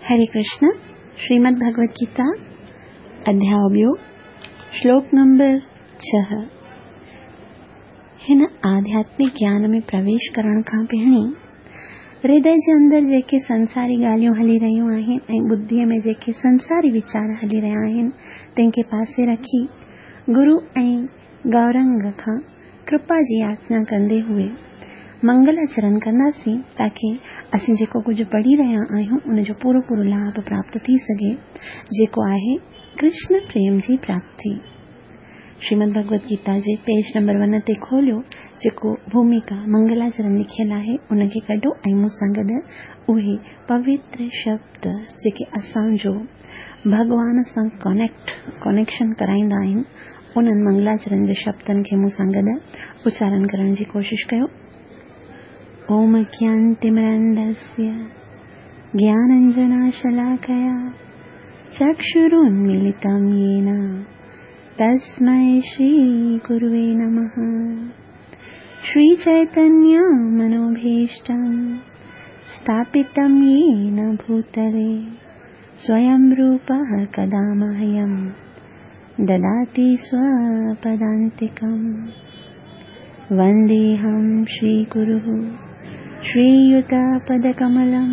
हरे कृष्ण, श्रीमद् भगवत गीता अध्याय ॿियो, श्लोक नंबर 6। हिन आध्यात्मिक ज्ञान में प्रवेश करण खां पहिरीं हृदय जे अंदरि जेके संसारी ॻाल्हियूं हली रहियूं आहिनि ऐं बुद्धीअ में जेके संसारी वीचार हली रहिया आहिनि, तंहिंखे पासे रखी गुरू ऐं गौरंग खां कृपा जी याचना कंदे हुए मंगलाचरण कंदासीं, ताकी असीं जेको कुझु पढ़ी रहिया आहियूं उन जो पूरो पूरो लाभ प्राप्त थी सघे, जेको आहे कृष्ण प्रेम जी प्राप्ति। श्रीमद् भगवत गीता जे पेज नंबर 1 ते खोलियो, जेको भूमिका मंगलाचरण लिखियल आहे, उनखे कढो ऐं मूंसां गॾु उहे पवित्र शब्द जेके असांजो भॻवान सां कनेक्शन कराईंदा आहिनि, उन्हनि मंगलाचरण जे शब्दनि खे मूंसां गॾु उचारण करण जी कोशिशि कयो। ओम ज्ञानतिमिरन्धस्य ज्ञानाञ्जनशलाकया चक्षुरुन्मीलितं येन तस्मै श्रीगुरुवे नमः। श्रीचैतन्यमनोभीष्टं स्थापितं येन भूतले स्वयं रूपः कदा मह्यं ददाति स्वपदान्तिकं। वन्देऽहं श्रीगुरुः श्रीयुतपदकमलं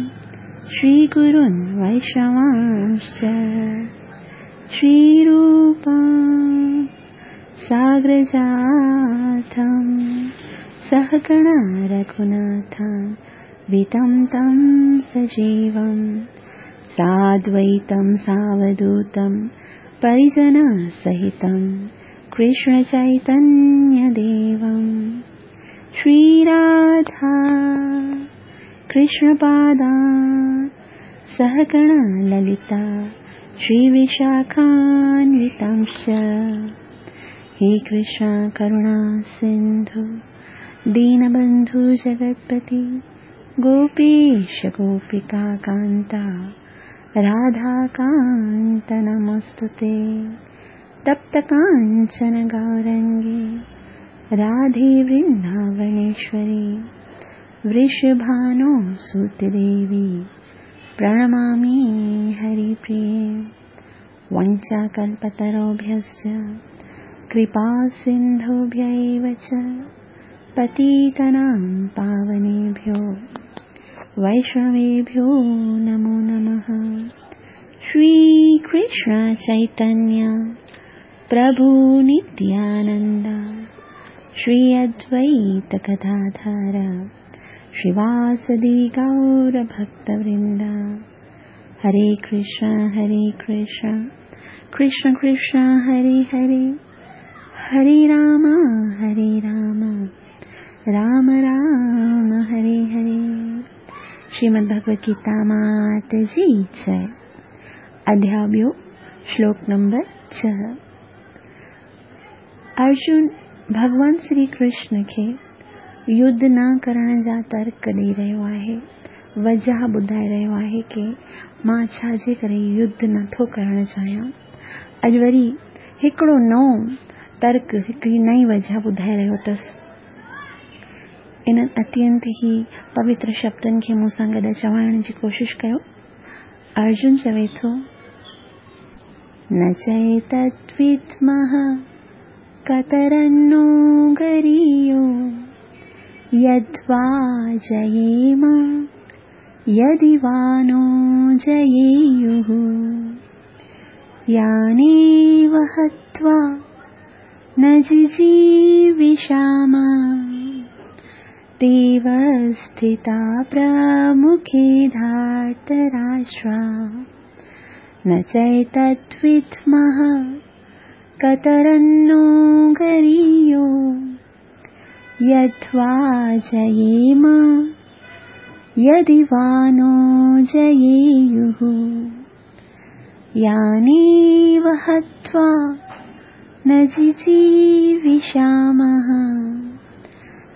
श्रीगुरुन् वैष्णवांश्च श्रीरूपं साग्रजातं सहगणा रघुनाथं वितं तं सजीवं साद्वैतं सावधूतं परिजनसहितं कृष्णचैतन्यदेवं। श्रीराधा कृष्णपादा सहगणा ललिता श्रीविशाखान्वितांश्च। हे कृष्ण करुणा सिन्धु दीनबन्धु जगत्पति गोपेश गोपिका कान्ता राधाकान्त नमोऽस्तुते। तप्त काञ्चन गौरङ्गे राधे वृन्दावनेश्वरी वृषभानो सुतदेवी प्रणमामि हरिप्रिये। वञ्चाकल्पतरुभ्यश्च कृपा सिन्धुभ्यैव च पतितानां पावनेभ्यो वैष्णवेभ्यो नमो नमः। श्रीकृष्ण चैतन्य प्रभु नित्यानन्द श्री अद्वैत गदाधर श्रीवासदि गौर भक्तवृंद। हरे कृष्ण कृष्ण कृष्ण हरे हरे, हरे राम राम राम हरे हरे। श्रीमद् भगवत गीता मात जी जय। अध्याय ॿियो, श्लोक नंबर 6। अर्जुन भॻवान श्री कृष्ण खे युद्ध न करण जा तर्क ॾेई रहियो आहे, वजह ॿुधाए रहियो आहे की मां छाजे करे युद्ध नथो करणु चाहियां। अॼु वरी हिकिड़ो नओं तर्क, हिकिड़ी नई वजह ॿुधाए रहियो अथसि। इन्हनि अत्यंत ई पवित्र शब्दनि खे मूंसां गॾु चवाइण जी कोशिशि कयो। अर्जुन चवे थो, न चैतद्विद्मः कतरन्नो गरीयो यद्वा जयेम यदि वा नो जयेयुः। यानेव हत्वा न जिजीविषाम तेव स्थिता प्रमुखे धार्तराष्ट्रा। न चैतद्विद्मः कतरन्नो गरीयो यद्वा जयेम यदि वा नो जयेयुः। यानेव हत्वा न जिजीविषामः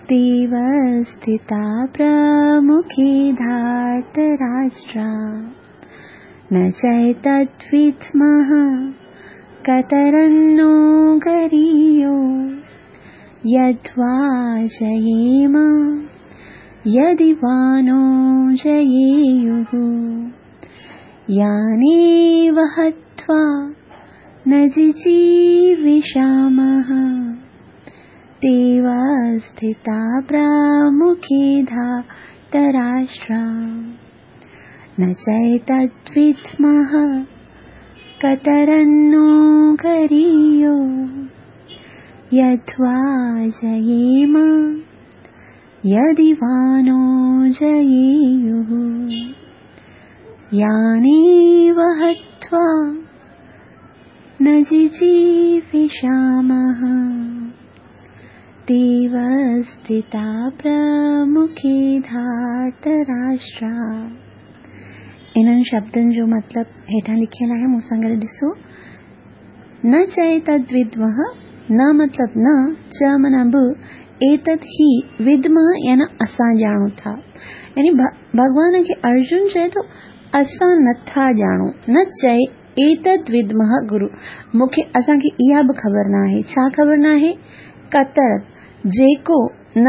तेव स्थिता प्रमुखे धार्तराष्ट्रा। न चैतद्विद्मः कतरन्नो गरीयो यद्वा जयेम यदि वा नो जयेयुः। यानेव हत्वा न जिजीविषामः ते वा स्थिता प्रमुखे धार्तराष्ट्रा न चैतद्विद्मः कतरन्नो गरीयो यद्वा जयेम यदि वा नो जयेयुः यानेव हत्वा न जिजीविषामः ते वा स्थिता प्रमुखे धार्तराष्ट्रा। इन्हनि शब्दनि जो मतिलबु हेठां लिखियलु आहे, मूं सां गॾु ॾिसो। न चैतद्विद्मः, न मतिलबु न, च माना बि, एतद् ही विद्मः याना असां ॼाणूं था। यानी भॻवान खे अर्जुन चए थो असां नथा ॼाणूं। न चए एतद् विद्मः गुरु, मूंखे असांखे इहा बि ख़बर न आहे। छा ख़बर न आहे? कतर जेको न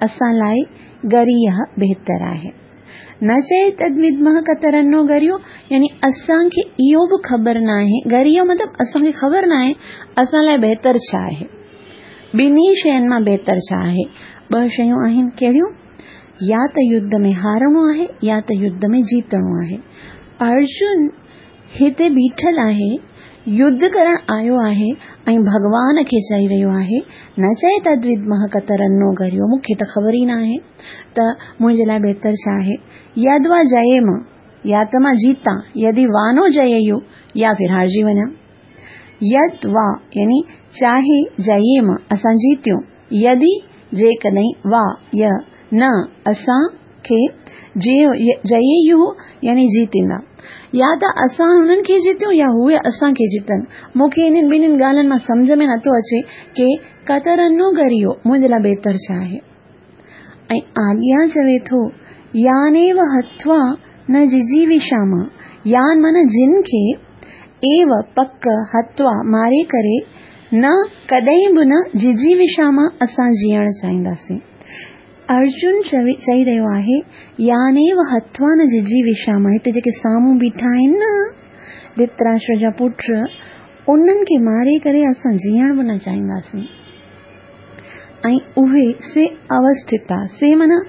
असां लाइ गरीय बहितर आहे। न चए तद्विद्मः कतरन्नो गरियो, यानी असांखे इहो बि ख़बर न आहे। गरियो मतिलबु असांखे ख़बर न आहे असां लाइ बहितर छा आहे, ॿिन्ही शयुनि मां बहितर छा आहे। ॿ शयूं आहिनि, कहिड़ियूं? या त युद्ध में हारणो आहे या त युद्ध में जीतणो आहे। अर्जुन हिते बीठल आहे, युद्ध करण आयो आहे ऐं भॻवान खे चई रहियो आहे न चए तद्विद्मः कतरन्नो गरियो, मूंखे त ख़बर ई न आहे त मुंहिंजे लाइ बहितर छा आहे। यद्वा जयेम, या त मां जीतां, यदि वानो जयेयु, या फिर हारजी वञा। यद वा यानी चाहे जयेम असां जीतियूं, यदि जेकॾहिं वा य न असांखे जयेयु यानी जीतींदा, या त असां हुननि खे जीतियूं या उहे असांखे जीतनि। मूंखे इन्हनि ॿिन्हिनि ॻाल्हियुनि मां सम्झ में नथो अचे की कतरन्नो गरियो मुंहिंजे लाइ बहितर छा आहे। ऐं आॻियां चवे थो यानेव हत्वा न जिजीविषाम, यान माना जिन खे, एव पक, हत्वा मारे करे, न कॾहिं बि न जिजीविषाम असां जीअण चाहींदासीं। अर्जुन चई रहियो आहे यानेव हत्वा न जिजीविषाम, हिते जेके साम्हूं बीठा आहिनि न धृतराष्ट्र जा पुट, उन्हनि खे मारे करे असां जीअण बि न चाहींदासीं। ऐं उहे से अवस्थिता, से माना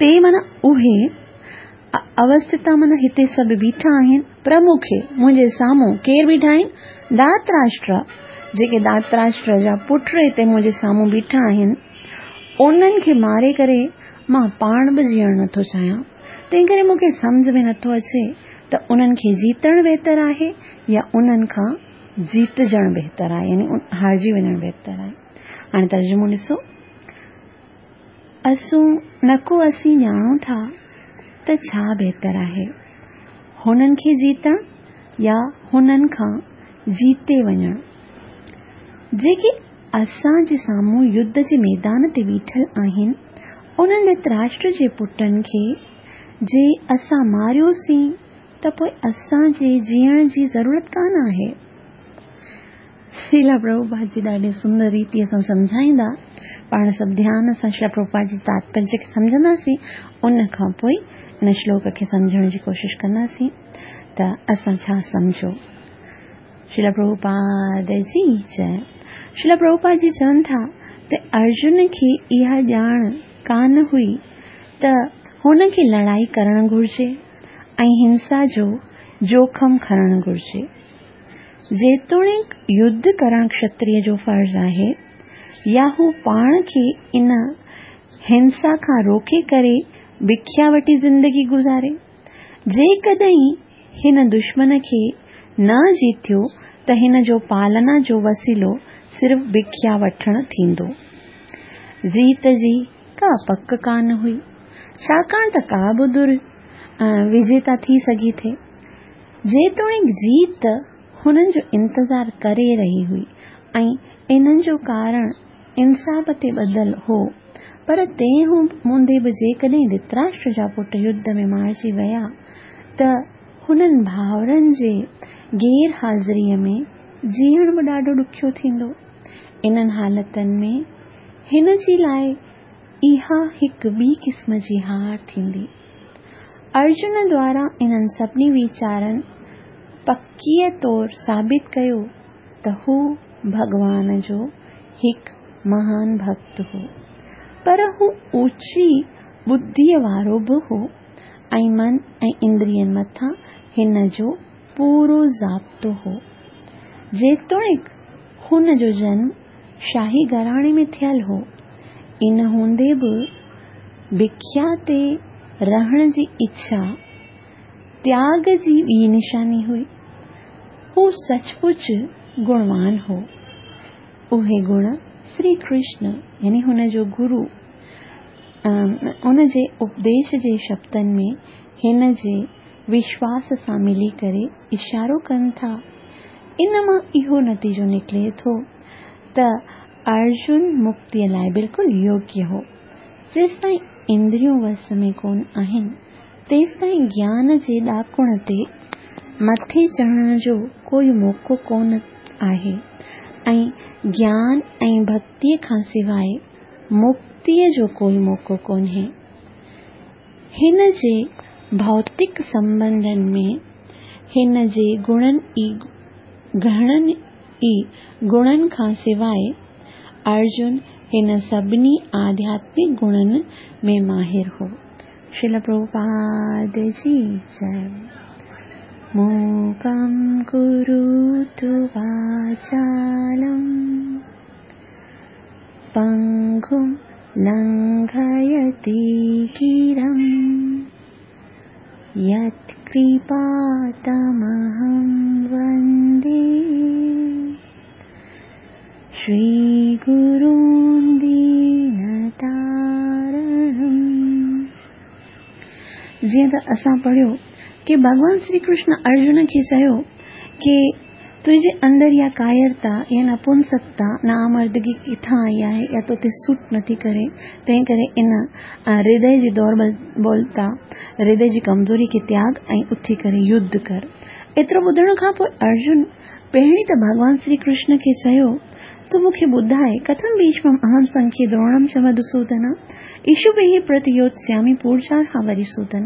ते माना उहे, अवस्थिता माना हिते सभु बीठा आहिनि, प्रमुखे मुंहिंजे साम्हूं केरु बीठा आहिनि? धातराष्ट्र, जेके धातराष्ट्र जा पुट हिते मुंहिंजे साम्हूं बीठा आहिनि, उन्हनि खे मारे करे मां पाण बि जीअण नथो चाहियां। तंहिं करे मूंखे सम्झ में नथो अचे त उन्हनि खे जीतण बहितर आहे या उन्हनि खां जीतजण बहितर आहे, यानी हारजी वञण बहितर आहे। हाणे तर्जुमो ॾिसो, असूं न को असीं ॼाणूं था त छा बहितर आहे, हुननि खे जीतण या हुननि खां जीते वञण। जेके असांजे साम्हूं युद्ध जे मैदान ते बीठल आहिनि, उन्हनि धृतराष्ट्र जे पुटनि खे जे असां मारियोसीं त पोइ असांजे जीअण जी ज़रूरत कान आहे। श्रीला प्रभुपाद जी ॾाढे सुंदर रीति सां सम्झाईंदा, पाण सभु ध्यान सां श्रीला प्रभुपाद जी तात्पर्य खे सम्झंदासीं, उन खां पोइ इन श्लोक खे सम्झण जी कोशिशि कंदासीं त असां छा सम्झो। श्रीला प्रभुपाद जी जय। श्रीला प्रभुपाद जी चवनि था त अर्जुन खे इहा ॼाण कान हुई त हुनखे लड़ाई करणु घुरिजे ऐं हिंसा जो जोखम खणणु घुरिजे। जेतोणीकि युद्ध करणु क्षत्रिय जो फ़र्ज़ आहे, या हू पाण खे इन हिंसा खां रोके करे भिख्या वठी ज़िंदगी गुज़ारे। जेकॾहिं हिन दुश्मन खे न जीतियो त हिन जो पालना जो वसीलो सिर्फ़ भिख्या वठणु थींदो। जीत जी का पक कान हुई, छाकाणि त का बि दुर विजेता थी सघी थे। जेतोणीकि जीत हुननि जो इंतज़ार करे रही हुई ऐं इन्हनि जो कारण इंसाफ़ ते ॿधल हो, पर तंहिं हूंदे बि जेकॾहिं धृतराष्ट्र जा पुट युद्ध में मारिजी विया त हुननि भाउरनि जे गैर हाज़िरीअ में जीअण बि ॾाढो ॾुखियो थींदो। इन्हनि हालतुनि में हिन जे लाइ इहा हिकु ॿी क़िस्म जी हार थींदी। ارجن دواران انهن سڀني ويچارن پڪيء طور ثابت ڪيو ته هو ڀڳوان جو هڪ مهان ڀڳت هو. پر هو اوچي ٻڌيء وارو به هو ۽ من ۽ اندرين مٿان هن جو پورو ضابطو هو. جيتوڻيڪ هن جو جنم شاهي گهراڻي ۾ ٿيل هو، ان هوندي به بکيا تي رهڻ جي اڇا تياڳ جي ٻي نشاني هئي. هو سچ پچ گڻوان هو. اهي گڻ سري ڪرشن يعني هن جو گرو ان جي اپديش جي شبدن ۾ هن جي وشواس سان ملي ڪري اشارو ڪن ٿا. ان مان اهو نتيجو نڪري ٿو ته ارجن مڪتيء لاء بلڪل يوگيه هو. جيستائين اندريون وس ۾ ڪونه آهن، تيستائين گيان جي ڏاڪڻ تي مٿي چڙهڻ جو ڪوئي موقعو ڪونه آهي ۽ گيان ۽ ڀڳتيء کان سواء مڪتيء جو ڪوئي موقعو ڪونهي. هن جي ڀوتڪ سنٻنڌن ۾ هن جي گڻن ئي گهڻن ئي گڻن کان سواء ارجن هن سڀني آڌياتمڪ گڻن ۾ ماهر هو. شريل پرڀوپاد جي جئه. موڪم ڪروتو واچالم پنگم لنگهيتي گرم يتڪرپا تمهم وندي شري گرون دينتارڻم. جيئن ته اسان پڙهيو ڪي ڀڳوان شري ڪرشن ارجن کي چيو ڪي تنهنجي اندر اها ڪائرتا يا نپنسڪتا، نامردگي ڪٿان آئي آهي يا تو تي سوٽ نٿي ڪري، تنهن ڪري ان هردي جي دوربلتا، هردي جي ڪمزوري کي تياڳ ۽ اٿي ڪري يڌ ڪر. ايترو ٻڌڻ کان پوء ارجن پهرين ته ڀڳوان شري ڪرشن کي چيو، تون مون کي ٻڌاء، ڪٿم ڀيشمم اهم سنکي دروڻم چ مڌوسودن، اشوڀيه پرتيوتسيامي پورجارها وريسودن.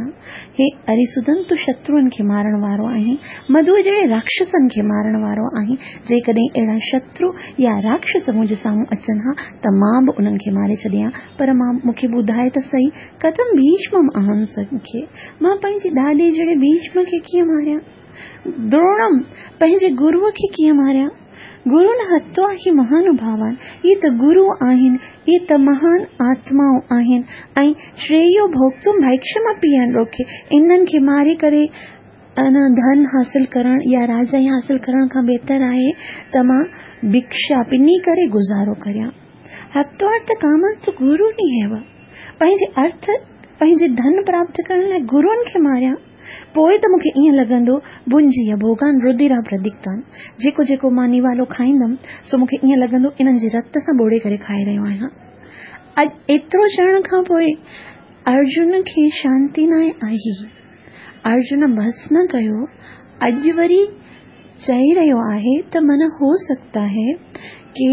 هي اريسودن تون شتروئن کي مارڻ وارو آهين، مڌوء جهڙي راڪشسن کي مارڻ وارو آهين، جيڪڏهن اهڙا شترو يا راڪشس منهنجي سامهون اچن ها ته مان به انهن کي ماري ڇڏيان ها، پر مان مون کي ٻڌاء ته سهي، ڪٿم ڀيشمم اهم سنکي، مان پنهنجي ڏاڏي جهڙي ڀيشم کي ڪيئن ماريان؟ دروڻم، پنهنجي گروء کي ڪيئن ماريان؟ گرون هتوا هي مهانوڀاوان، اهي ته گرو آهن، اهي ته مهان آتمائون آهن ۽ شريو ڀوڳتم ڀئڪشمپي لوڪي، انهن کي ماري ڪري ان ڌن حاصل ڪرڻ يا راجائي حاصل ڪرڻ کان بهتر آهي ته مان ڀکشا پني ڪري گذارو ڪريان. هتوا ته ڪامنس ته گرو ني هيو. پنهنجي ارٿ، پنهنجي ڌن پراپت ڪرڻ لاء گروئن کي ماريان؟ پوء ته مون کي ائين لڳندو، ڀنجيء ڀوڳان ردرا پرديڪتان، جيڪو جيڪو مان نوالو کائيندم، سو مون کي ائين لڳندو انهن جي رت سان ٻوڙي ڪري کائي رهيو آهيان. اڄ ايترو چوڻ کان پوء ارجن کي شانتي ناهي آئي. ارجن بس نه ڪيو، اڄ وري چئي رهيو آهي ته من هو سگتا هي ڪي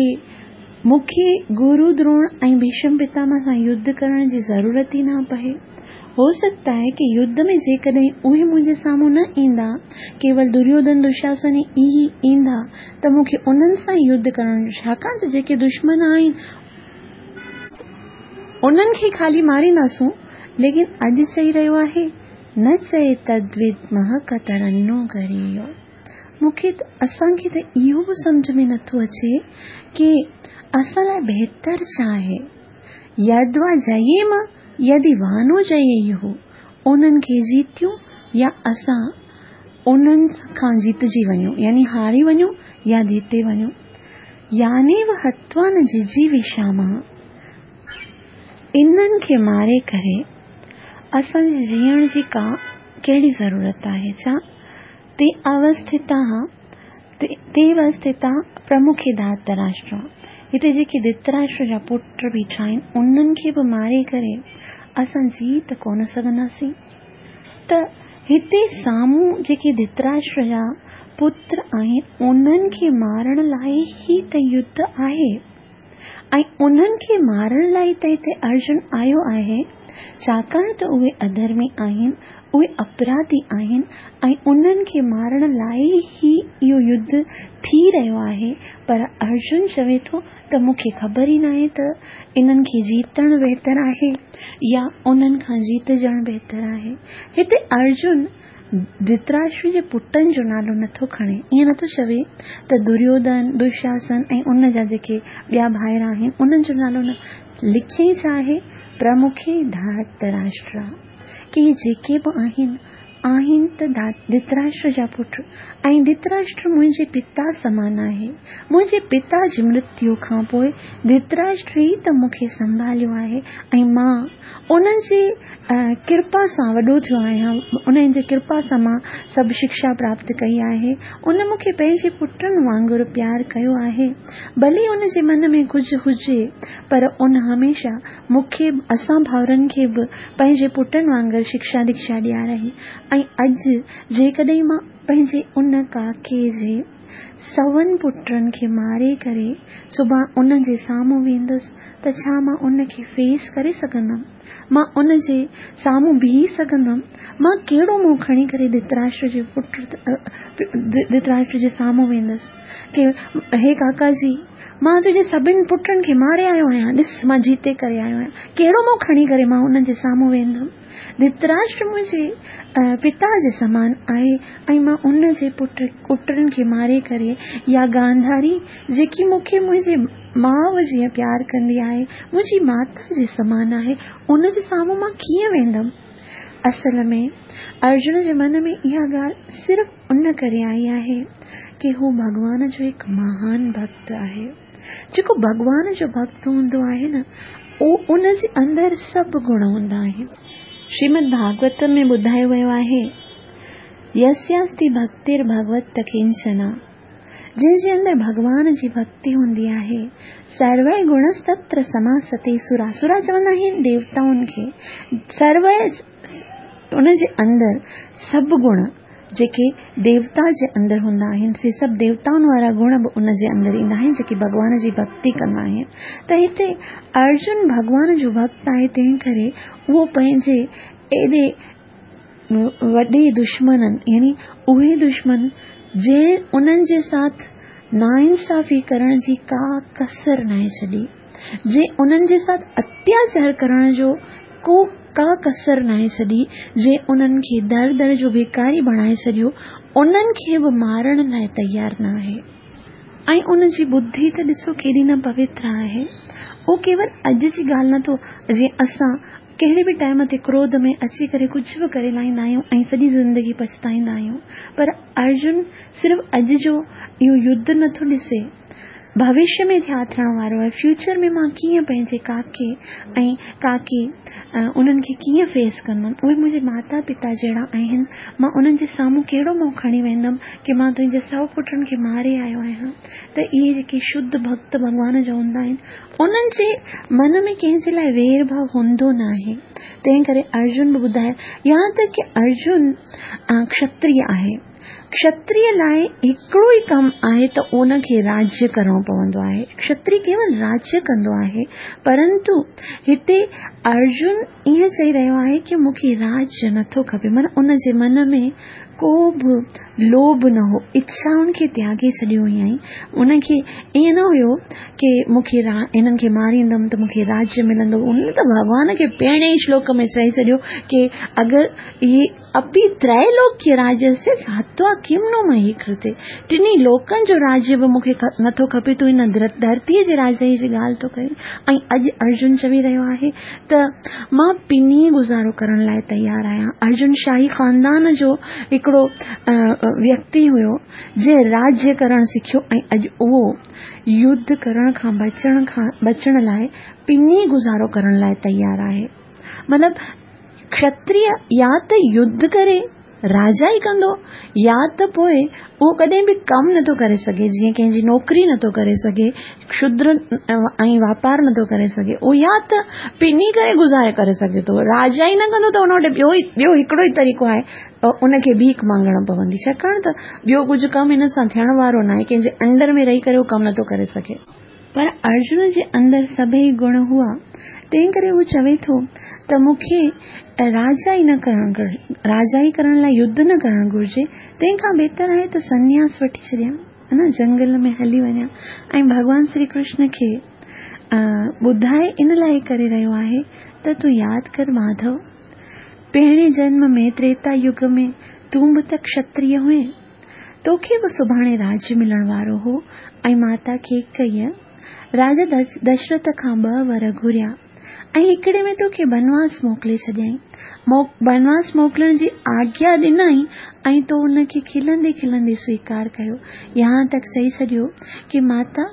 مون کي گرو دروڻ ۽ ڀيشم پتامه سان يڌ ڪرڻ جي ضرورت ئي نه پئي. هو سگتا هي ڪي يڌ ۾ جيڪڏهن اهي منهنجي سامهون نه ايندا، ڪيول دريوڌن دشاسن ئي ايندا ته مون کي انهن سان ئي يڌ ڪرڻ ڇاڪاڻ ته جيڪي دشمن آهن انهن کي خالي مارينداسون ليڪن اڄ چئي رهيو آهي نه چئي تدويدمه ڪترنو گريو. مون کي ته اسان کي ته اهو به سمجهه ۾ نٿو اچي ڪي اسان لاء بهتر ڇا آهي. يدوا جييم يدي وانو جييهو انهن کي جيتيون يا اسان انهن کان جيتجي وڃون يعني هاري وڃون يا جيتي وڃون. يانيو هتوا نه ججيوشامه انهن کي ماري ڪري اسان جي جيئڻ جي ڪا ڪهڙي ضرورت آهي ڇا؟ تي اوسٿتاه تي اوسٿتا پرمکي ڌاتراشٽر هتي جيڪي ڌتراشٽر جا پٽ بيٺا آهن انهن کي به ماري ڪري اسان جي ته ڪونه سگهنداسين ته هتي سامهون جيڪي ڌتراشٽر جا پٽ آهن انهن کي مارڻ لاء ئي ته يڌ آهي ۽ انهن کي مارڻ لاء ته هتي ارجن آيو آهي. ڇاڪاڻ ته اهي اڌرمي آهن، اهي اپراڌي آهن ۽ انهن کي مارڻ لاء ئي اهو يڌ ٿي رهيو آهي. پر ارجن چوي ٿو ته مون کي خبر ئي ناهي ته انهن کي جيتڻ بهتر آهي يا انهن کان جيتجڻ بهتر آهي. هتي ارجن ڌرتراشٽر جي پٽن جو نالو نٿو کڻي، ائين نٿو چوي ته دريوڌن، دشاسن ۽ ان جا جيڪي ٻيا ڀائر آهن، انهن جو نالو نه لکيائين ڇا آهي؟ پرمکي ڌارتراشٽرا. ڪي اهي جيڪي به آهن، آهن ته ڌرتراشٽر جا پٽ ۽ ڌرتراشٽر منهنجي پتا سمان آهي. منهنجي پتا جي مرتيو کان پوء ڌرتراشٽر ئي ته مون کي سنڀاليو آهي ۽ مان انهن جي ڪرپا سان وڏو ٿيو آهيان، انهن جي ڪرپا سان مان سڀ شڪشا پراپت ڪئي آهي. ان مون کي پنهنجي پٽن وانگر پيار ڪيو آهي. ڀلي ان جي من ۾ ڪجهه هجي، پر ان هميشه مون کي به اسان ڀائرن کي به پنهنجي پٽن وانگر شڪشا ديکشا ڏيارائي ۽ اڄ جيڪڏهن مان پنهنجي ان ڪاڪي جي سون پٽن کي ماري ڪري سڀان ان جي سامهون ويندس ته ڇا مان ان کي فيس ڪري سگهندم؟ مان ان جي سامهون بيهي سگهندم؟ مان ڪهڙو منهن کڻي ڪري ڌرتراشٽر جي پٽ ڌرتراشٽر جي سامهون ويندس ڪي هي ڪاڪا جي مان تنهنجي سڀن پٽن کي ماري آيو آهيان ڏس مان جيتي ڪري آيو آهيان ڪهڙو منهن کڻي ڪري مان انهن جي سامهون ويندم؟ ڌرتراشٽر منهنجي پتا جي سمان آهي ۽ مان ان جي پٽ پٽن کي ماري ڪري يا گانڌاري جيڪي مون کي منهنجي ماء جيئن پيار ڪندي آهي، منهنجي ماتا جي سمان آهي، ان جي سامهون مان ڪيئن ويندم؟ اصل ۾ ارجن جي من ۾ اها ڳالهه صرف ان ڪري آئي آهي ڪي هو ڀڳوان جو هڪ مهان ڀڳت آهي. جيڪو ڀڳوان جو ڀڳت هوندو آهي نه، اهو ان جي اندر سڀ گڻ هوندا آهن. شريمد ڀاڳوت ۾ ٻڌايو ويو آهي، يسياستي ڀڳتير ڀڳوت ڪنچنا، جنهن جي اندر ڀڳوان جي ڀڳتي هوندي آهي، سروي گڻستتر سماستي سرا، سرا چوندا آهن ديوتائن کي، سروي ان جي اندر سڀ گڻ جيڪي ديوتا جي اندر هوندا آهن سي سڀ ديوتائن وارا گڻ به ان جي اندر ايندا آهن جيڪي ڀڳوان جي ڀڳتي ڪندا آهن ته هتي ارجن ڀڳوان جو ڀڳت آهي تنهن ڪري اهو پنهنجي ايڏي وڏي دشمنن يعني اهي دشمن جنهن انهن جي ساٿ ناانصافي ڪرڻ جي ڪا ڪسر ناهي ڇڏي جنهن انهن جي ساٿ اتياچار ڪرڻ جو ڪو ڪا ڪسر ناهي ڇڏي، جنهن انهن کي در در جو ڀيکاري بڻائي ڇڏيو، انهن کي به مارڻ لاء تيار ناهي. ۽ ان جي ٻڌي ته ڏسو ڪيڏي نه پوتر آهي. اهو ڪيول اڄ جي ڳالهه نه ٿو، جيئن اسان ڪهڙي به ٽائيم تي ڪروڌ ۾ اچي ڪري ڪجهه به ڪري لاهيندا آهيون ۽ سڄي زندگي پڇتائيندا آهيون. پر ارجن صرف اڄ جو اهو يڌ نه ٿو ڏسي. ڀوشيه ۾ ڇا ٿيڻ وارو آهي، فيوچر ۾ مان ڪيئن پنهنجي ڪاڪي ۽ ڪاڪي انهن کي ڪيئن فيس ڪندم، اهي منهنجي ماتا پتا جهڙا آهن، مان انهن جي سامهون ڪهڙو منهن کڻي ويندم ڪي مان تنهنجي سو پٽن کي ماري آيو آهيان ته اهي جيڪي شڌ ڀڳت ڀڳوان جا هوندا آهن انهن جي من ۾ ڪنهن جي لاء وير ڀاء هوندو ناهي تنهن ڪري ارجن به ٻڌايو يهان تڪ ڪي ارجن کشتري آهي. کشتري لاء هڪڙو ئي ڪم آهي ته ان کي راجيه ڪرڻو پوندو آهي. کشتري ڪيول راجيه ڪندو آهي، پرنتو هتي ارجن ائين چئي رهيو آهي ڪي مون کي راجيه نٿو کپي، معنيٰ ان جي من ۾ ڪو به لوڀ نه هو، اڇائن کي تياڳي ڇڏيو هيائين، ان کي ائين نه هيو ڪي مون کي هنن کي ماريندم ته مون کي راجيه ملندو، ان ته ڀڳوان کي پهرين ئي شلوڪ ۾ چئي ڇڏيو ڪي اگر اهي اپي ترائلوڪيه راجيسيه هتوا ڪم نو مهي ڪرتي، ٽنهي لوڪن جو راجيه به مون کي نٿو کپي، تون هن ڌرتيء جي راجائيء جي ڳالهه ٿو ڪرين. ۽ اڄ ارجن چوي رهيو آهي ته مان پني گذارو ڪرڻ لاء تيار آهيان. ارجن شاهي خاندان جو هڪڙو ويڪتي هيو، جنهن راجيه ڪرڻ سکيو ۽ اڄ اهو يڌ ڪرڻ کان بچڻ لاء پني گذارو ڪرڻ لاء تيار آهي. مطلب کشتريه يا ته يڌ ڪري راجائي ڪندو يا ته پوء اهو ڪڏهن به ڪم نٿو ڪري سگهي جيئن ڪنهن جي نوڪري نٿو ڪري سگهي شودر ۽ واپار نٿو ڪري سگهي اهو يا ته پني ڪري گذاري ڪري سگهي ٿو راجائي نه ڪندو ته ان وٽ ٻيو ئي ٻيو هڪڙو ئي طريقو آهي ان کي ڀيک مانگڻ پوندي ڇاڪاڻ ته ٻيو ڪجهه ڪم هن سان ٿيڻ وارو ناهي ڪنهن جي انڊر ۾ رهي ڪري اهو ڪم نٿو ڪري سگهي. پر ارجن جي اندر سڀئي گڻ هئا، تنهن ڪري هو چوي ٿو ته مون کي راجائي نه ڪرڻ راجائي ڪرڻ لاء يڌ نه ڪرڻ گهرجي، تنهن کان بهتر آهي ته سنياس وٺي ڇڏيان، ها نه جنگل ۾ هلي وڃان ۽ ڀڳوان شري ڪرشن کي ٻڌائي ان لاء ڪري رهيو آهي ته تون ياد ڪر ماڌو! پهرين جنم ۾ تريتا يگ ۾ تون به ته کشتريه هئين. توکي به سڀاڻي راڄ ملڻ وارو هو ۽ ماتا ڪيڪئيء راجا دشرٿ کان ٻه ور گهريا ۽ هڪڙي ۾ توکي بنواس موڪلي ڇڏيائين. بنواس موڪلڻ جي آگيا ڏنائين ۽ تو ان کي کلندي کلندي سويڪار ڪيو. يهان تڪ چئي ڇڏيو ڪي ماتا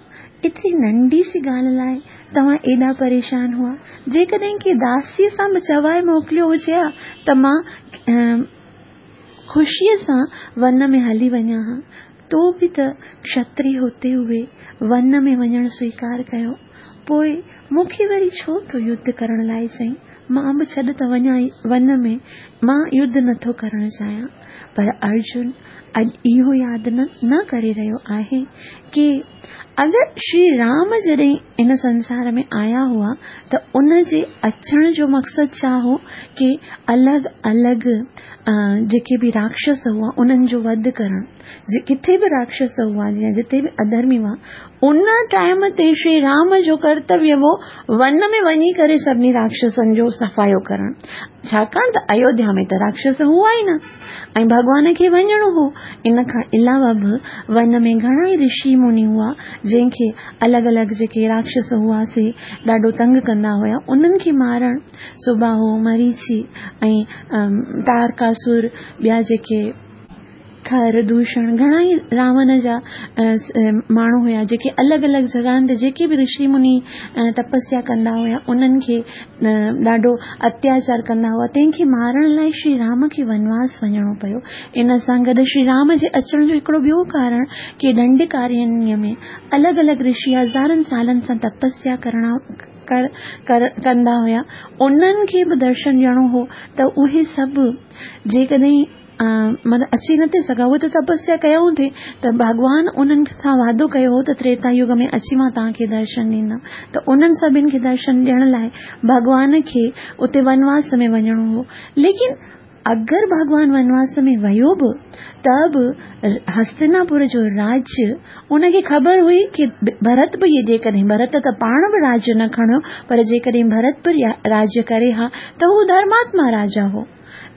ايتري ننڍي سي ڳالهه لاء توهان ايڏا پريشان هئا. جيڪڏهن ڪنهن داسيء سان به چوائي موڪليو هجي ها ته مان خوشيء سان ون ۾ هلي وڃان ها. تو به ته کشتري هوتي هوئي ون ۾ وڃڻ سويڪار ڪيو. پوء مون کي وري ڇو ٿو يڌ ڪرڻ لاء چئين؟ مان به ڇڏ ته وڃان ون ۾، مان يڌ نٿو ڪرڻ چاهيان. پر ارجن اڄ اهو ياد نه ڪري رهيو آهي ڪي اگر شري رام جڏهن هن سنسار ۾ آيا هئا ته ان جي اچڻ جو مقصد ڇا هو ڪي الڳ الڳ جيڪي به راڪشس هئا انهن جو وڌ ڪرڻ ڪٿي به راڪشس هئا يا جتي به اڌرمي هئا ان ٽائيم تي شري رام جو ڪرتويه هو ون ۾ وڃي ڪري سڀني راڪشسن جو صفايو ڪرڻ ڇاڪاڻ ته ايوڌيا ۾ ته راڪشس هئا ئي نه ۽ ڀڳوان کي وڃڻو هو. ان کان علاوه به ون ۾ گهڻا ئي رشي مني هئا، جنهن کي الڳ الڳ جيڪي راڪشس هئا سي ڏاڍو تنگ ڪندا هيا، انهن کي مارڻ، سباهو، مريچي ۽ تارڪاسر، ٻيا جيڪي خر، دوشڻ، گهڻا ئي راون جا ماڻهو هيا، جيڪي الڳ الڳ جڳهن تي جيڪي به رشي مني تپسيا ڪندا هيا، انهن کي ڏاڍو اتياچار ڪندا هئا، تنهن کي مارڻ لاء شري رام کي ونواس وڃڻو پيو. ان سان گڏ شري رام جي اچڻ جو هڪڙو ٻيو ڪارڻ ڪي ڏنڊڪارينيه ۾ الڳ الڳ رشي هزارن سالن سان تپسيا ڪندا هيا، انهن کي به درشن ڏيڻو هو ته اهي سڀ جيڪڏهن مطلب اچي نه ٿي سگهيا اهي ته تپسيا ڪيائون ٿي ته ڀڳوان انهن سان وعدو ڪيو هو ته تريتا يگ ۾ اچي مان توهان کي درشن ڏيندم ته انهن سڀن کي درشن ڏيڻ لاء ڀڳوان کي اتي ونواس ۾ وڃڻو هو ليڪن اگر ڀڳوان ونواس ۾ ويو به ته به هستناپور جو راج ان کي خبر هئي ڪي ڀرت به جيڪڏهن ڀرت ته پاڻ به راج نه کڻيو پر جيڪڏهن ڀرت به راج ڪري ها ته هو ڌرماتما راجا هو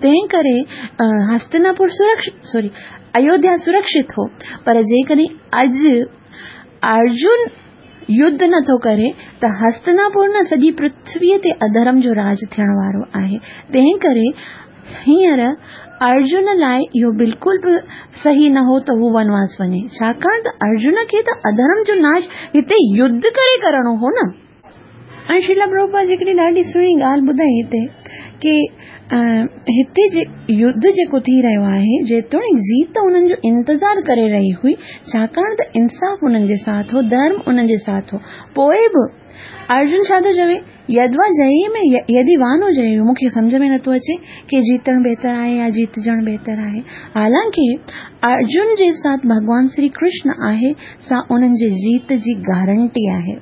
تنهن ڪري هستناپور سرڪشت سوري ايوڌيا سرڪشت هو پر جيڪڏهن اڄ ارجن يڌ نٿو ڪري ته هستناپور نه سڄي پرٿويء تي اڌرم جو راڄ ٿيڻ وارو آهي تنهن ڪري هينئر ارجن لاء اهو بلڪل به صحيح نه هو ته هو ونواس وڃي ڇاڪاڻ ته ارجن کي ته اڌرم جو ناش هتي يڌ ڪري ڪرڻو هو نه ۽ شريلا پرڀوپاد هڪڙي ڏاڍي سهڻي ڳالهه ٻڌائي هتي ڪي هتي جي يڌ جيڪو ٿي رهيو آهي جيتوڻيڪ جيت انهن جو انتظار ڪري رهي هئي ڇاڪاڻ ته انصاف انهن جي ساٿ هو ڌرم انهن جي ساٿ هو پوء به ارجن ڇا ٿو چوي يدوا جئي ۾ يدي وانو جئي مون کي سمجهه ۾ نٿو اچي ڪي جيتڻ بهتر آهي يا جيتجڻ بهتر آهي حالانڪه ارجن جي ساٿ ڀڳوان شري ڪرشن آهي سا انهن جي جيت جي گارنٽي آهي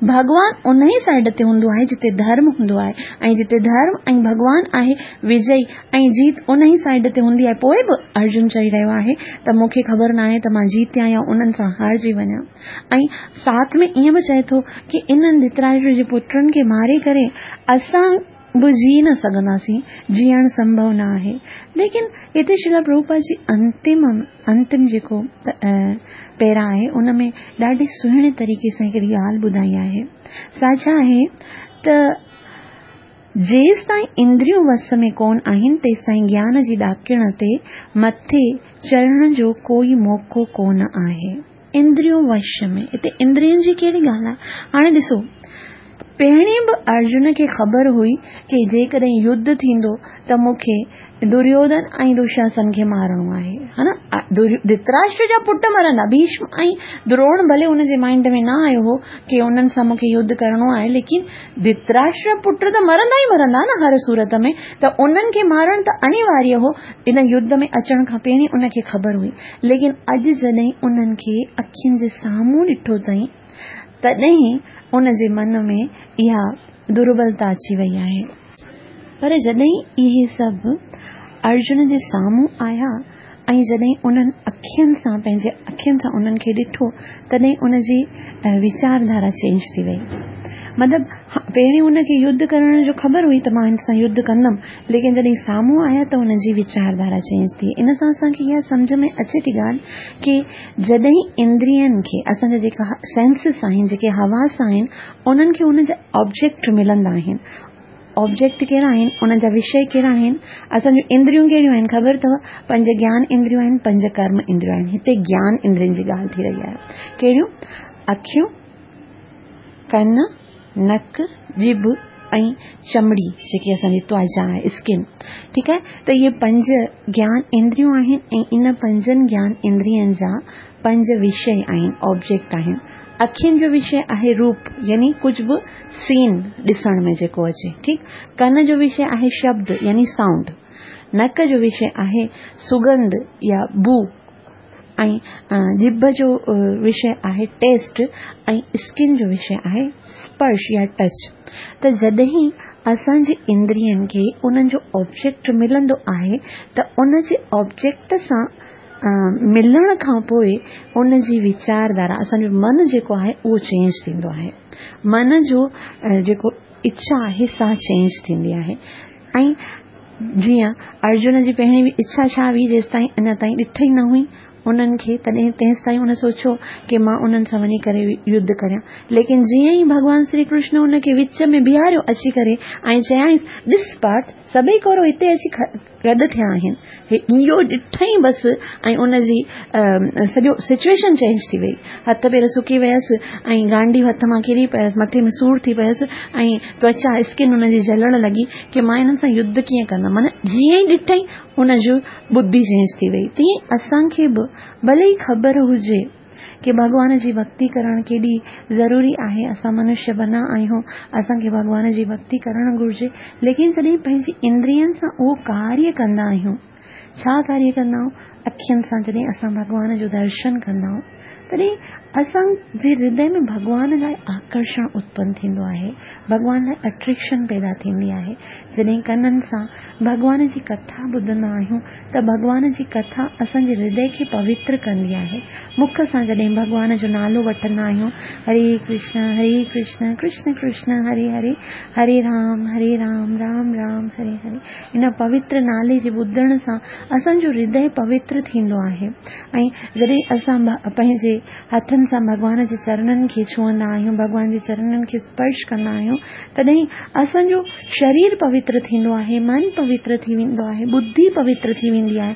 ڀڳوان انهي سائيڊ تي هوندو آهي جتي ڌرم هوندو آهي ۽ جتي ڌرم ۽ ڀڳوان آهي وجئي ۽ جيت انهي سائيڊ تي هوندي آهي پوء به ارجن چئي رهيو آهي ته مون کي خبر ناهي ته مان جيتيان يا انهن سان هارجي وڃان ۽ ساٿ ۾ ائين به چئي ٿو ڪي انهن ڌتراشٽر جي پٽن کي ماري ڪري اسان به جي نه سگهنداسين، جيئڻ سنڀو نه آهي. ليڪن هتي شريلا پرڀوپاد جي انتم انتم جيڪو پيرا آهي ان ۾ ڏاڍي سهڻي طريقي سان هڪڙي ڳالهه ٻڌائي آهي سا ڇا آهي ته جيستائين اندريون وس ۾ ڪون آهن تيستائين گيان جي ڏاڪڻ تي مٿي چڙهڻ جو ڪوئي موقعو ڪون آهي. اندريون وش ۾، هتي اندرين جي ڪهڙي ڳالهه آهي؟ هاڻي ڏسو، پهرين به ارجن کي خبر هئي ڪي جيڪڏهن يڌ ٿيندو ته مون کي دريوڌن ۽ دشاسن کي مارڻو آهي، ها نه؟ ڌتراشٽر جا پٽ مرندا، ڀيشم ۽ دروڻ ڀلي ان جي مائنڊ ۾ نه آيو هو ڪي انهن سان مون کي يڌ ڪرڻو آهي، ليڪن ڌتراشٽر جا پٽ ته مرندا ئي مرندا نه هر صورت ۾، ته انهن کي مارڻ ته انيواريه هو، ان يڌ ۾ اچڻ کان پهرين ان کي خبر هئي. ليڪن اڄ جڏهن انهن کي اکين جي سامهون ڏٺو اٿئين ته تڏهن ان جي من ۾ اها دربلتا اچي وئي آهي. پر جڏهن اهي سڀ ارجن جي سامهون آيا ۽ جڏهن انهن اکين سان پنهنجي اکين سان انهن کي ڏٺو تڏهن ان جي ويچار ڌارا چينج ٿي وئي. مطلب پهرين ان کي يڌ ڪرڻ جو خبر هئي ته مان هن سان يڌ ڪندم ليڪن جڏهن سامهون آيا ته ان جي ويچار ڌارا چينج ٿي. ان سان اسان کي اها سمجهه ۾ اچي ٿي ڳالهه ڪي جڏهن اندرين کي اسان جا جيڪا سينسز آهن جيڪي حواس آهن انهن کي ان جا آبجيڪٽ ملندا آهن. آبجيڪٽ ڪهڙا آهن، انهن جا وشيه ڪهڙا آهن، اسان جون اندريون ڪهڙيون آهن خبر اٿو؟ پنج گيان اندريون آهن، پنج ڪرم اندريون آهن. هتي گيان اندرين جي ڳالهه ٿي رهي آهي. ڪهڙيون؟ اکيون، ڪن، نڪ، ڄڀ ۽ چمڙي جيڪي اسان جي توچا آهي اسڪن ٺيڪ آهي ته اهي پنج گيان اندريون آهن ۽ ان پنجن گيان اندرين جا پنج وشيه آهن آبجيڪٽ آهن. اکين جو وشيه آهي روپ يعني ڪجهه به سين ڏسڻ ۾ جيڪو اچي ٺيڪ ڪن جو وشيه آهي شبد يعني سائونڊ نڪ جو وشيه آهي سڳنڌ يا بو ۽ ڄڀ جو وشيه آهي ٽيسٽ ۽ اسڪن جو وشيه آهي اسپرش يا ٽچ ته جڏهن اسان جي اندرين کي انهن جو آبجيڪٽ ملندو آهي ته ان جي آبجيڪٽ سان ملڻ کان پوء ان جي ويچار ڌارا اسان جو من جيڪو آهي اهو چينج ٿيندو آهي من جو جيڪو اڇا آهي سا چينج ٿيندي آهي ۽ جيئن ارجن جي پهرين اڇا ڇا هئي جيستائين اڃا تائين ڏٺ ئي نه هئي انهن کي تڏهن تيستائين ان سوچيو ڪي مان انهن سان وڃي ڪري يڌ ڪريان ليڪن جيئن ئي ڀڳوان شري ڪرشن ان کي وچ ۾ بيهاريو اچي ڪري ۽ چيائينس ڏس پارٿ سڀئي ڪورو هتي اچي گڏ ٿيا آهن. اهو ڏٺائين بس ۽ ان جي سڄو سچوئيشن چينج ٿي وئي. هٿ پير سڪي ويس ۽ گانڊيو هٿ مان ڪري پيس، مٿي ۾ سور ٿي پيس ۽ توچا، اسڪن، ان جي جلڻ لڳي ڪي مان انهن سان يڌ ڪيئن ڪندم. معنيٰ جيئن ئي ڏٺائين ان جو ٻڌي چينج ٿي وئي. تيئن اسان کي به ڀلي ئي خبر هجي. ڪي ڀڳوان جي ڀڳتي ڪرڻ ڪيڏي ضروري آهي، اسان منشيه بنا آهيون، اسان کي ڀڳوان جي ڀڳتي ڪرڻ گهرجي، ليڪن جڏهن پنهنجي اندرين سان اهو ڪاريه ڪندا آهيون، ڇا ڪاريه ڪندا آهيون؟ اکين سان جڏهن اسان ڀڳوان جو درشن ڪندا آهيون، تڏهن اسان جي هردي ۾ ڀڳوان لاء آڪرشڻ اتپن ٿيندو آهي، ڀڳوان لاء اٽريڪشن پيدا ٿيندي آهي، جڏهن ڪنن سان ڀڳوان جي ڪٿا ٻڌندا آهيون ته ڀڳوان جي ڪٿا اسان جي هردي کي پوتر ڪندي آهي. مک سان جڏهن ڀڳوان جو نالو وٺندا آهيون، هري ڪرشن هري ڪرشن ڪرشن ڪرشن هري هري، هري رام هري رام رام رام هري هري ان پوتر نالي جي ٻڌڻ سان اسان جو هردي پوتر ٿيندو آهي ۽ جڏهن اسان پنهنجي هٿن سان ڀڳوان جي چرنن کي ڇهندا آهيون، ڀڳوان جي چرنن کي اسپرش ڪندا آهيون، تڏهن اسان جو شرير پوتر ٿيندو آهي، من پوتر ٿي ويندو آهي، ٻڌي پوتر ٿي ويندي آهي،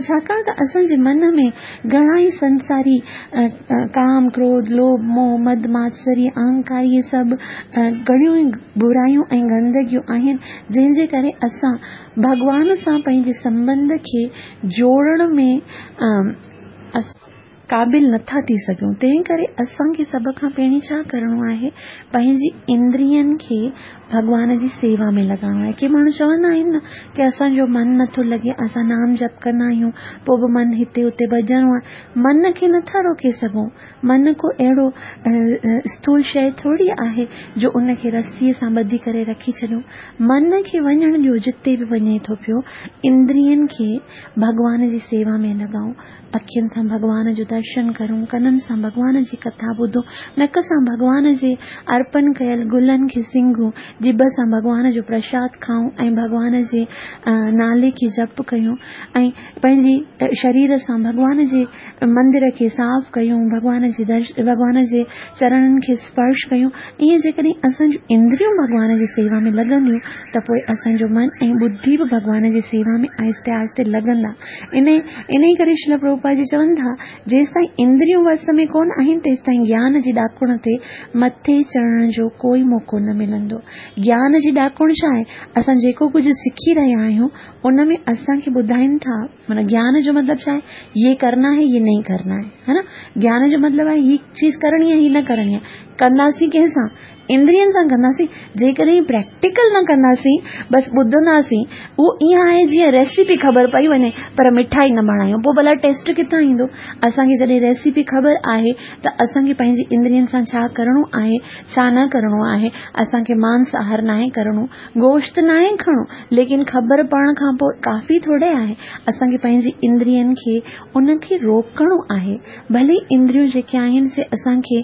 ڇاڪاڻ ته اسان جي من ۾ گهڻا ئي سنساري ڪام، ڪروڌ، لوڀ، موهه، مد، ماتسريه، اهنڪار اهي سڀ گهڻيون ئي برايون ۽ گندگيون آهن، جنهن جي ڪري اسان ڀڳوان سان پنهنجي سنٻنڌ کي جوڙڻ ۾ قابل نٿا ٿي سگهون، تنهن ڪري اسان کي سڀ کان پهرين ڇا ڪرڻو آهي، پنهنجي اندرين کي ڀڳوان جي سيوا ۾ لڳائڻو آهي. ڪي ماڻهو چوندا آهن نه ڪي اسان جو من نٿو لڳي، اسان نام جپ ڪندا آهيون پوء به من هتي هتي ڀڄڻو آهي. من کي نٿا روڪي سگهون، من ڪو اهڙو اسٿول شيء ٿوري آهي جو ان کي رسيء سان ٻڌي ڪري رکي ڇڏيون. من کي وڃڻ ڏيو جتي به وڃي ٿو پيو، اندرين کي ڀڳوان جي سيوا ۾ لڳائون. اکين سان ڀڳوان جو درشن ڪرون، ڪنن سان ڀڳوان جي ڪٿا ٻڌون، نڪ سان ڀڳوان جي ارپن ڪيل گلن کي سنگهون، ڄڀ سان ڀڳوان جو پرشاد کائون ۽ ڀڳوان جي نالي کي جپ ڪيون ۽ پنهنجي شرير سان ڀڳوان جي مندر کي صاف ڪيون، ڀڳوان جي درش ڀڳوان جي چرڻن کي اسپرش ڪيون، ائين جيڪڏهن اسان جون اندريون ڀڳوان جي سيوا ۾ لڳنديون ته پوء اسان جو من ۽ ٻڌي به ڀڳوان جي سيوا ۾ آهستي آهستي لڳندا. انهيء ڪري شريل پرڀوپاد جي چون ٿا، جيستائين اندريون وس ۾ ڪونه آهن، تيستائين گيان جي ڏاڪڻ تي مٿي چڙهڻ جو ڪوئي موقعو نه ملندو. گيان جي ڏاڪڻ ڇا آهي؟ اسان جيڪو ڪجهه سکي رهيا آهيون، ان ۾ اسان کي ٻڌائين ٿا. معنيٰ گيان جو مطلب ڇا آهي؟ يي ڪرنا هي، يي نهين ڪرنا هي. ها نه؟ گيان جو مطلب آهي هي چيز ڪرڻي آهي، هي نه ڪرڻي آهي. ڪنداسين ڪنهن سان؟ اندرين سان ڪنداسين، جيڪڏهن پريڪٽيڪل نه ڪنداسين، بس ٻڌنداسين، اهو ائين آهي جيئن ريسيپي خبر پئي وڃي پر مٺائي نه بڻايون، پوء ڀلا ٽيسٽ ڪٿان ايندو؟ اسان کي جڏهن ريسيپي خبر آهي ته اسان کي پنهنجي اندرين سان ڇا ڪرڻو آهي، ڇا نه ڪرڻو آهي، اسان کي مانس آهار ناهي ڪرڻو، گوشت ناهي کڻو، ليڪن خبر پوڻ کان پوء ڪافي ٿوري آهي، اسان کي پنهنجي اندرين کي ان کي روڪڻو آهي، ڀلي اندريون جيڪي آهن سي اسان کي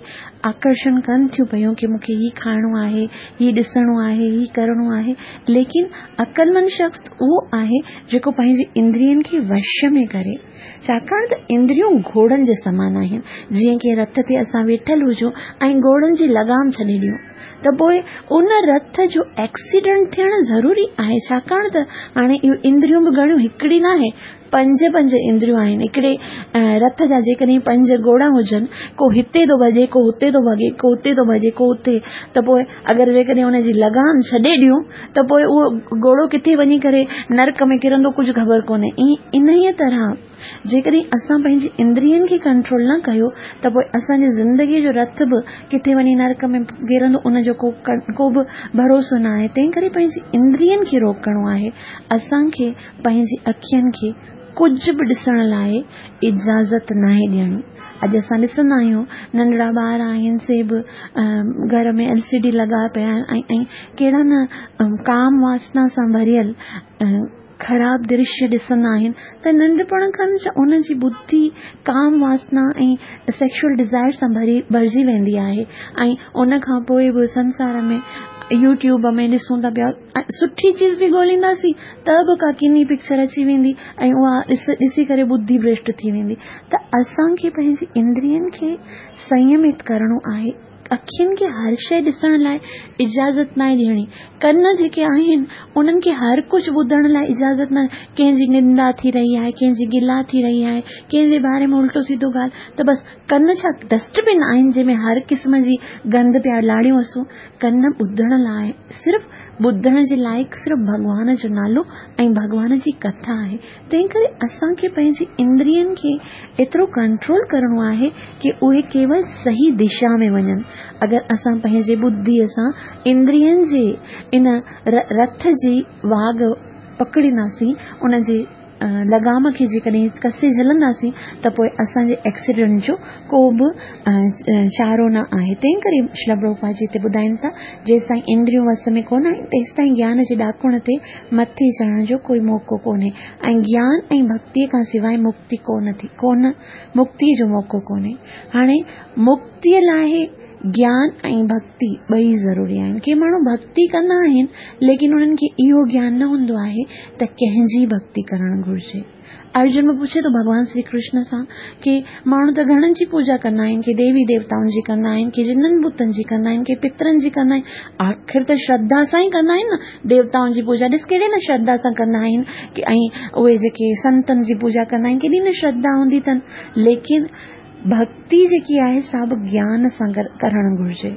آڪرشڻ ڪن ٿيون پيون ڪي مون کي هي کائڻو آهي، هي ڏسڻو آهي، هي ڪرڻو آهي، ليڪن عقلمند شخص اهو آهي جيڪو پنهنجي اندرين کي وش ۾ ڪري. ڇاڪاڻ ته اندريون گهوڙن جي سمان آهن، جيئن ڪنهن رٿ تي اسان ويٺل هجون ۽ گهوڙن جي لغام ڇڏي ڏيون ته پوء ان رٿ جو ايڪسيڊنٽ ٿيڻ ضروري آهي، ڇاڪاڻ ته هاڻي اهو اندريون به گهڻيون هڪڙي ناهي، پنج پنج اندريون آهن. هڪڙي رٿ جا جيڪڏهن پنج گهوڙا هجن، ڪو هتي ٿو ڀڄي، ڪو هتي ٿو ڀڄي، ڪو هتي ٿو ڀڄي، ڪو هتي، ته پوء اگر جيڪڏهن ان جي لغام ڇڏي ڏيون ته پوء اهو گهوڙو ڪٿي وڃي ڪري نرڪ ۾ ڪرندو ڪجهه خبر ڪونهي. ائين انهيء طرح جيڪڏهن اسان پنهنجي اندرين کي ڪنٽرول نه ڪيو ته پوء اسان جي زندگيء جو رٿ به ڪٿي وڃي نرڪ ۾ ڪرندو ان جو ڪو ڪو به ڀروسو نه آهي. تنهن ڪري پنهنجي اندرين کي روڪڻو آهي. اسان کي پنهنجي اکين کي ڪجهه به ڏسڻ لاء اجازت ناهي ڏيڻي. اڄ اسان ڏسندا آهيون ننڍڙا ٻار آهن سي به گهر ۾ ايل سي ڊي لڳا پيا آهن ۽ ڪهڙا نه ڪام واسنا سان ڀريل خراب درشيه ڏسندا آهن ته ننڍپڻ کان ان جي ٻڌي ڪام واسنا ۽ سيڪشوئل ڊزائر سان ڀري ڀرجي ويندي آهي ۽ ان کان پوء به سنسار ۾ يوٽيوب ۾ ڏسون ٿا پيا سٺي چيز به ڳولينداسين ته به ڪا ڪني پڪچر اچي ويندي ۽ اها ڏس ڏسي ڪري ٻڌي ڀرشٽ ٿي ويندي ته اسان کي پنهنجي اندرين کي سنيمت ڪرڻو آهي اکين کي هر شيء ڏسڻ لاء اجازت ناهي ڏيڻي ڪن جيڪي آهن انهن کي هر ڪجهه ٻڌڻ لاء اجازت نه ڪنهن جي نندا ٿي رهي آهي ڪنهن جي گلا ٿي رهي آهي ڪنهن جي باري ۾ الٽو سيڌو ڳالهه ته بس ڪن ڇا ڊسٽ بن آهن جنهن ۾ هر قسم جي گند پيا لاڙيون اسون ڪن ٻڌڻ لاء صرف ٻڌڻ جي لائق صرف ڀڳوان جو نالو ۽ ڀڳوان جي ڪٿا آهي تنهن ڪري اسان کي پنهنجي اندرين کي ايترو ڪنٽرول ڪرڻو آهي ڪي اهي ڪيول صحيح دشا ۾ وڃن اگر اسان پنهنجي ٻڌي سان اندرين جي ان رٿ جي واڳ پڪڙينداسين ان جي لغام کي جيڪڏهن ڪسي جهلنداسين ته پوء اسان جي ايڪسيڊنٽ جو ڪو به چارو نه آهي. تنهن ڪري شريلا پرڀوپاد جي هتي ٻڌائين ٿا، جيستائين اندريون وس ۾ ڪونه آهن، تيستائين گيان جي ڏاڪڻ تي مٿي چڙهڻ جو ڪوئي موقعو ڪونهي ۽ گيان ۽ ڀڳتيء کان سواء مڪتي ڪونه ٿي ڪونه مڪتيء جو موقعو ڪونهي. هاڻي مڪتيء لاء گيان ۽ ڀڳتي ٻئي ضروري آهن. ڪي ماڻهو ڀڳتي ڪندا آهن ليڪن انهن کي اهو گيان نه هوندو آهي ته ڪنهن جي ڀڳتي ڪرڻ گهرجي. ارجن به پڇي ٿو ڀڳوان شري ڪرشن سان ڪي ماڻهو ته گهڻن جي پوڄا ڪندا آهن ڪي ديوي ديوتائن جي ڪندا آهن ڪي جنن ڀوتن جي ڪندا آهن ڪي پترن جي ڪندا آهن آخر ته شرڌا سان ئي ڪندا آهن نه ديوتائن جي پوڄا ڏس ڪهڙي نه شرڌا سان ڪندا آهن ڪي ۽ اهي جيڪي سنتن جي پوڄا ڪندا آهن ڪيڏي نه شرڌا هوندي اٿن ليڪن ڀڳتي جيڪي آهي سا به گيان سان ڪرڻ گهرجي.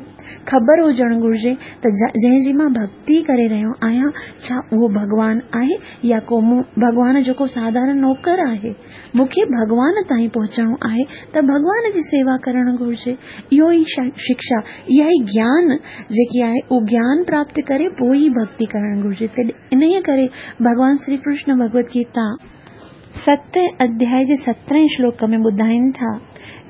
خبر هجڻ گهرجي ته جنهن جي مان ڀڳتي ڪري رهيو آهيان ڇا اهو ڀڳوان آهي يا ڪو مون ڀڳوان جو ڪو ساڌارڻ نوڪر آهي. مون کي ڀڳوان تائين پهچڻو آهي ته ڀڳوان جي سيوا ڪرڻ گهرجي. اهو ئي شڪشا، اها ئي گيان جيڪي آهي اهو گيان پراپت ڪري پوء ئي ڀڳتي ڪرڻ گهرجي. انهيء ڪري ڀڳوان شري ڪرشن ڀڳوت گيتا. ستين اڌيائي جي سترهين شلوڪ ۾ ٻڌائين ٿا،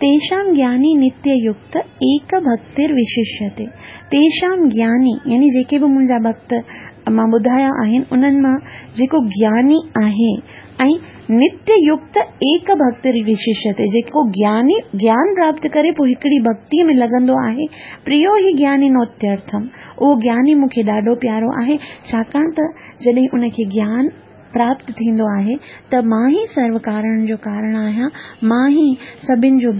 تيشام گياني نتيه يڪت ايڪ ڀڪتر وششيتي، تيشام گياني يعني جيڪي به منهنجا ڀڪت مان ٻڌايا آهن انهن مان جيڪو گياني آهي ۽ نتيه يڪت ايڪ ڀڪتر وششيتي جيڪو گياني گيان پراپت ڪري پوء هڪڙي ڀڪتي ۾ لڳندو آهي پريو هي گياني نوتيرٿم اهو گياني مون کي ڏاڍو پيارو آهي ڇاڪاڻ ته جڏهن ان کي گيان پراپت ٿيندو آهي ته مان ئي سرو ڪارڻ جو ڪارڻ آهيان، مان ئي سڀن جو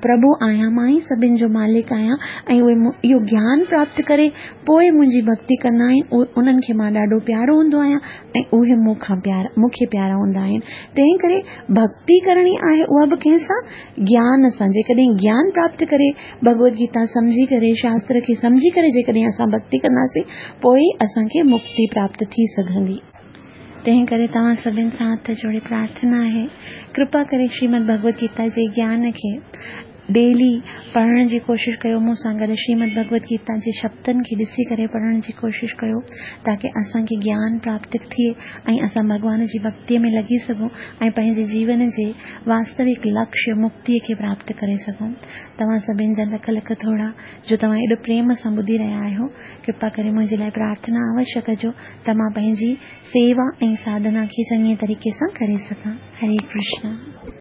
پرڀو آهيان، مان ئي سڀن جو مالڪ آهيان ۽ اهي اهو گيان پراپت ڪري پوء منهنجي ڀڳتي ڪندا آهن، انهن کي مان ڏاڍو پيارو هوندو آهيان ۽ اهي مون کان پيارا مون کي پيارا هوندا آهن. تنهن ڪري ڀڳتي ڪرڻي آهي اها به ڪنهن سان؟ گيان سان. جيڪڏهن گيان پراپت ڪري ڀڳوت گيتا سمجهي ڪري شاستر کي سمجهي ڪري جيڪڏهن اسان ڀڳتي ڪنداسين پوء ئي اسان کي مڪتي پراپت ٿي سگهندي. تنهن ڪري توهان سڀن سان هٿ جوڙي پرارٿنا آهي، ڪرپا ڪري شريمد ڀڳوت گيتا جي گيان کي ڊيلي پڙهڻ جي ڪوشش ڪيو مون سان گڏ شريمد ڀڳوت گيتا جي شبدن کي ڏسي ڪري پڙهڻ جي ڪوشش ڪيو تاڪه اسان کي گيان پراپت ٿئي ۽ اسان ڀڳوان جي ڀڳتي ۾ لڳي سگهون ۽ پنهنجي جيون جي واستوڪ لڪشيه مڪتي کي پراپت ڪري سگهون. توهان سڀن جا لک لک ٿورا جو توهان ايڏو پريم سان ٻڌي رهيا آهيو. ڪرپا ڪري منهنجي لاء پرارٿنا اوشيه ڪجو ته مان پنهنجي سيوا ۽ ساڌنا کي چڱي طريقي سان ڪري سگهان. هري ڪرشنا.